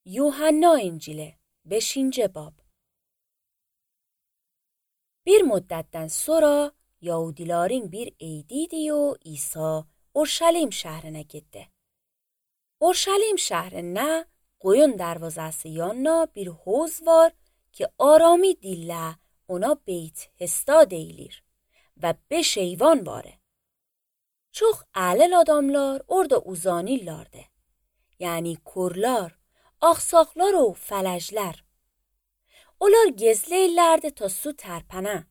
Yuhanna İncili 5. bab. Bir müddetten sonra Yahudilerin bir eydiydi ve İsa Urşalim şehrine gitti. Urşalim şehrine Qoyun darvazası yanına bir havuz var ki arami dille ona beyt hesta deyilir ve 5 eyvan vare. Çok alel adamlar orada uzanirlardı. Yani kurlar, aksaklar ve felejler. Onlar gezleyirlerdi ta su terpene.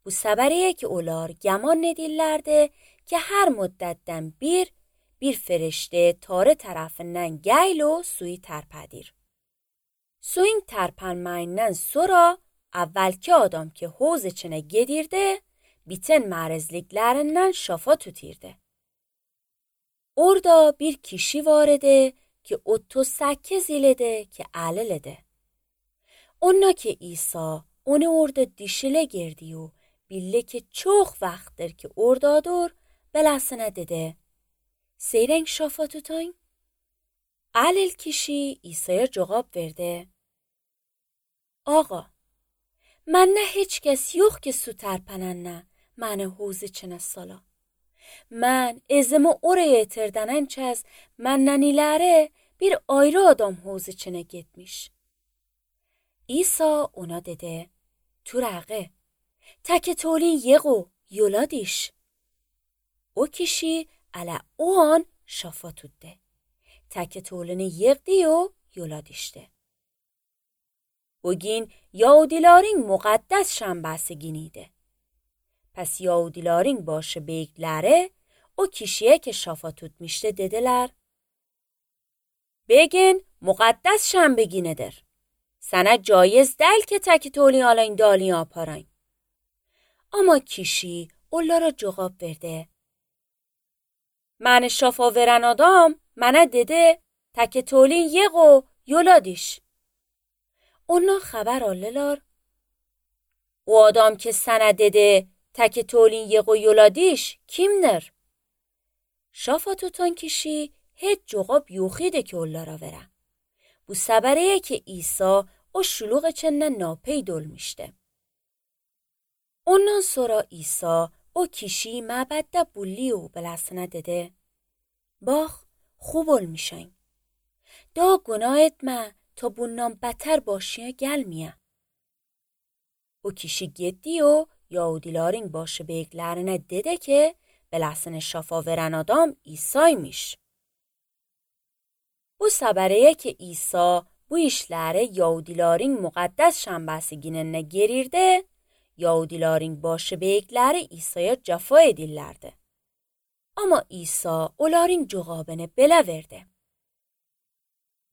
Bu seberiye ki onlar geman edirlerdi ki her müddetten bir ferişte tarı tarafından geyl o suyu terpedir. Suyun terpenmeyinden sonra evvelki adam ki havuz içine gedirdi, biten merezliklerinden şafa tutirdi. Orada bir kişi vardı ki 38 ilede ki alelede. Ona ki İsa onu orada dişile girdi و bille ki çok vaxtdır ki oradadır belasına dedi. Seyreng şafa tutayım? Alel kişi İsa'ya cevap verdi. Ağa, من نه هیچ کس yok ki su terpenenne منه حوز içine sala. من ezimi oraya yetirdenen çez mennenilere bir ayrı adam havuz içine gitmiş. İsa ona dedi, Turaqe, teke tolin yeqo yoladiş. O kişi ala o an şafa tuttu. Teke tolini yeqdi o yoladişti. Bugün Yahudilerin mukaddes şambası günüydü. Pes Yahudilerin başı beylikleri o kişiye ki şafa tutmuştu dediler. Bugün mukaddes şenbe günüdür. Sana caiz değil ki teki toli alın dali yaparın. Ama kişi onlara cevap verdi. من şafa veren adam mənə dedi teki tolin yeqo yoladiş. Onlar haber aldılar. O adam ki sana dedi teki tolin yeqo yoladiş kimdir? Şafa tutan kişi hiç cevap yoxidi ki onlara vere. Bu seberiye ki İsa o şuluq içinden napeyd olmuştu. Ondan sonra İsa o kişiyi mabedde bulli و belasına dedi. Bak خوب olmuşan. Da günah etme ta bundan beter başına gelmeye. O kişi gitti و Yahudilerin başı beyliklerine dedi ki belasını şafa veren adam İsa'ymış. Bu seberiye ki İsa bu işleri Yahudilerin mukaddes şambası gününe girirdi, Yahudilerin başı beylikleri İsa'ya cefa edirlerdi. Ama İsa onların cevabını belə verdi.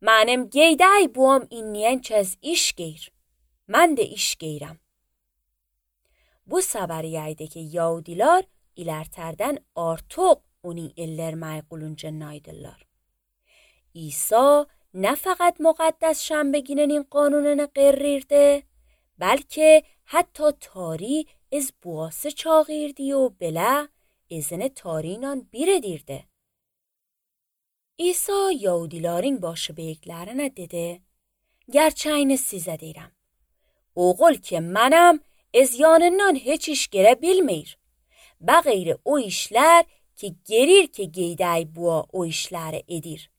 Mənim geydəy buam inleyen çez iş geyr. Mən de iş geyrəm. Bu seberiyeydi ki Yahudiler ilerterden artıq onun ellermeyi qulunca naydılar. İsa ne fakat mukaddes şنبه gününün qanununu qerrirdi, belki hatta tari از buası çağırdı و bile izini tarinan bir edirdi. İsa Yahudilerin başı beyliklerine dedi, gerçeğini size deyirəm. Oğul ki mənəm, ez yanından heç iş gere bilmir. Bəğeyri o işler ki gerir ki geydəy bua o işləri edir.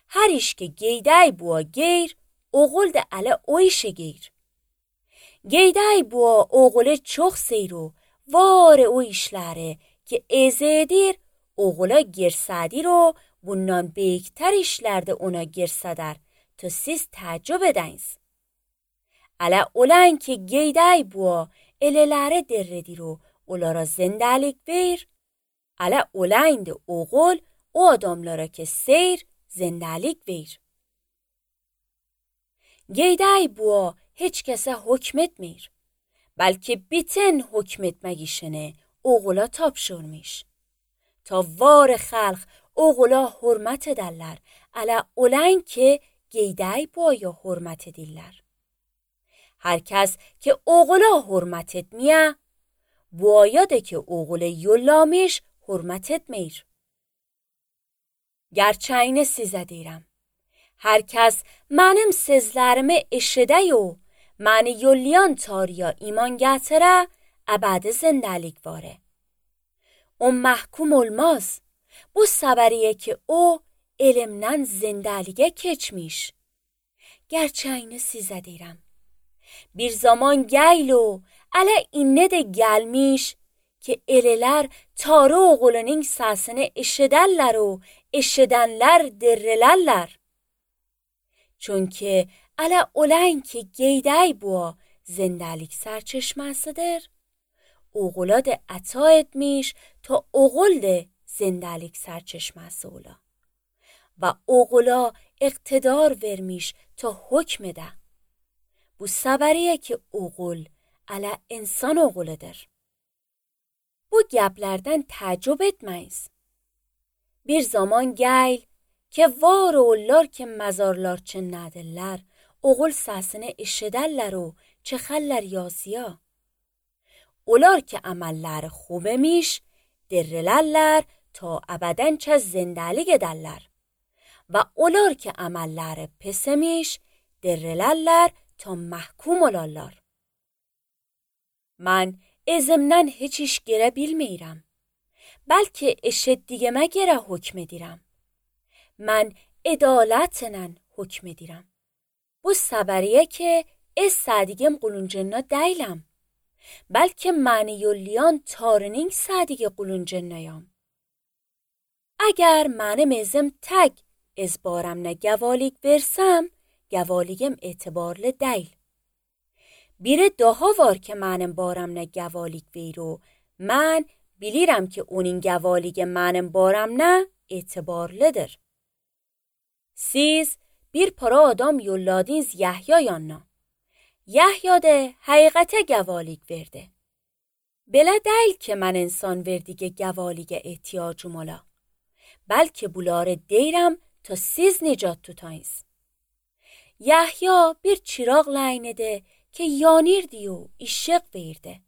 Her iş ki geydəy bua geyr, oğul da ələ o işe geyr. Geydəy bua oğulu çok seyru, var o işləri ki eze edir, oğula girsedir o bundan beykter işlerde ona girseder ta siz təəccüb edəniz. Ələ olan ki geydəy bua elələri derredir o onlara zindelik ver, ələ olan de oğul o adamlara ki seyr zindelik ver. Geydəy bua heç kəsə hükmetmir. Belki bütün hükmetmek işini oğula tapşırmış. Ta var xalq oğula hürmet ederler. Ələ olan ki geydəy buaya hürmet edirlər. Herkes ki oğula hürmet etmeye, buaya da ki oğula yollamış hürmet etmir. Gerçeğini size deyirəm. Herkes benim sözlerimi eşidiyor, beni yollayan Tanrı'ya iman getirir, ebedi zindelik vare. O mahkum olmaz. Bu sabariye ki o elimden zindelige keçmiş. Gerçeğini size deyirəm. Bir zaman geyl o, elə inne de gelmiş ki eleler Tanrı oğlunun səsini eşiderler o, eşidenler dirrilerler. Çünkü elə olan ki geydey bu zindelik serçeşmesidir. Oğula da ata etmiş ta oğul da zindelik serçeşmesi ola. Ve oğula iktidar vermiş ta hükmede. Bu sabariye ki oğul ala insan oğuludur. Bu geplerden tacib etmeyiz. Bir zaman geyl ki var oğullar ki mezarlar çın nedirler, oğul sesini eşiderler o çeخلر yazıya. Olar ki amelleri خوبmiş, dirrilerler ta ebeden çe zindelik ederler. Ve olar ki amelleri pismiş, dirrilerler ta mahkum olarlar. من ezimden hiç iş gere bilmeyirəm. Belki eşitdiğime gere hükmedirəm. من adaletlə hükmedirəm. Bu sabariye ki istədiyim quluncuna deyiləm. Belki məni yollayan Tanrının sadiqi quluncunayam. Eğer mənim ezim tek ezbarımna gavalig versem, gavaligim etibarlı deyil. Biri daha var ki mənim baramna gavalig veru, mən bilirəm ki onun gavalig mənim baramna etibarlıdır. Siz bir para adam yolladınız Yahya yanına. Yahya da haqiqətə gavalig verdi. Belə deyil ki mən insan verdiği gavalige ehtiyacım ola. Belki bunları deyirəm ta siz nicat tutayız. Yahya bir çıraq laynedi ki yanirdi و işıq verdi.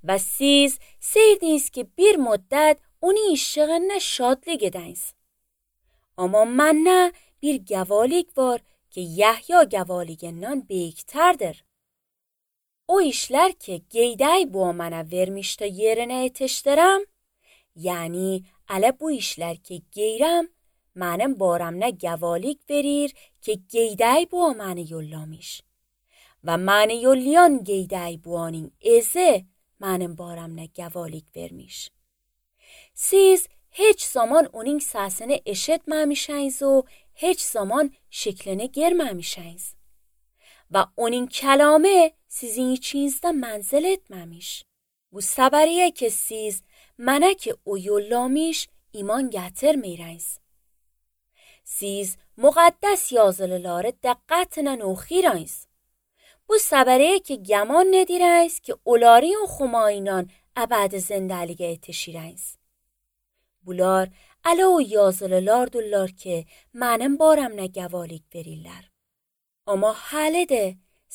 Və siz seydiniz ki bir müddət onun işığına şadlık ediniz. Ama mənə bir gavalig var ki Yahya gavaligindən beyikterdir. O işler ki geydey bu mənə vermiş ta yerine yetiştirəm, yani ələ bu işler ki geyrəm, mənim baramna gavalig verir ki geydey bu mənə yollamış. Və məni yollayan geydey buanın ezi mənim baramna gavalig vermiş. Siz hiç zaman onun səsini eşitməmişsiniz و hiç zaman şeklini görməmişsiniz. Və onun kəlamı sizin içinizdə mənzil etməmiş. Bu sabariye ki siz mənə ki o yollamış iman gətirməyirsiniz. Siz müqəddəs yazılıları dəqqətlə oxuyursiniz. Bu sabariye ki gəman nedirsiniz ki onları oxumayla əbədi zindəliyə yetişirsiniz. Bunlar ələ o yazılılardırlar ki mənim baramna gavalig verirlər. Amma hələ də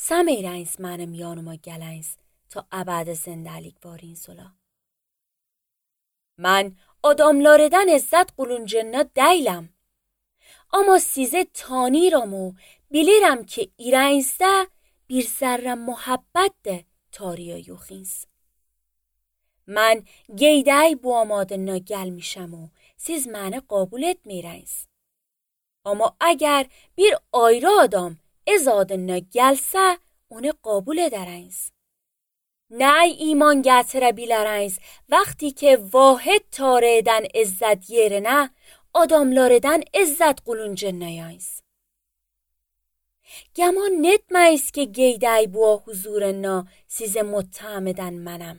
səməyirsiniz mənim yanıma gəliniz ta əbədi zindəlik variniz ola. Mən adamlardan izzət quluncuna deyiləm. Amma sizə tanıyıram و bilirəm ki irinizdə bir zərrə muhabbət də Tanrıya yoxsiniz. Mən geydey bu amadına gəlmişəm و siz məni qabul etməyirsiniz. Amma əgər bir ayrı adam ez adına gəlsə, onu qabul edərsiniz. Nə iman gətirə bilərsiniz vaqti ki vahid Tanrıdan izzət yerinə adamlardan izzət quluncunayız. Gəman netməyiz ki geydey bu huzuruna sizi muttəham edən mənəm.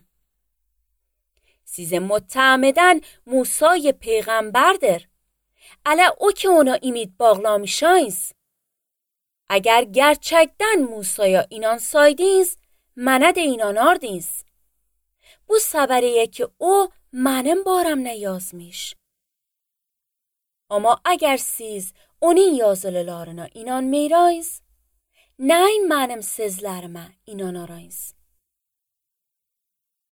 Sizi muttəham edən Musa'y peyğəmbərdir. Ələ o ki ona ümid bağlamışsınız. Əgər gerçəkdən Musa'ya inansaydınız, mənə də inanardınız. Bu sabariye ki o mənim baramna yazmış. Amma əgər siz onun yazılılarına inanmayırsınız, nə mənim sözlərimə inanarsınız.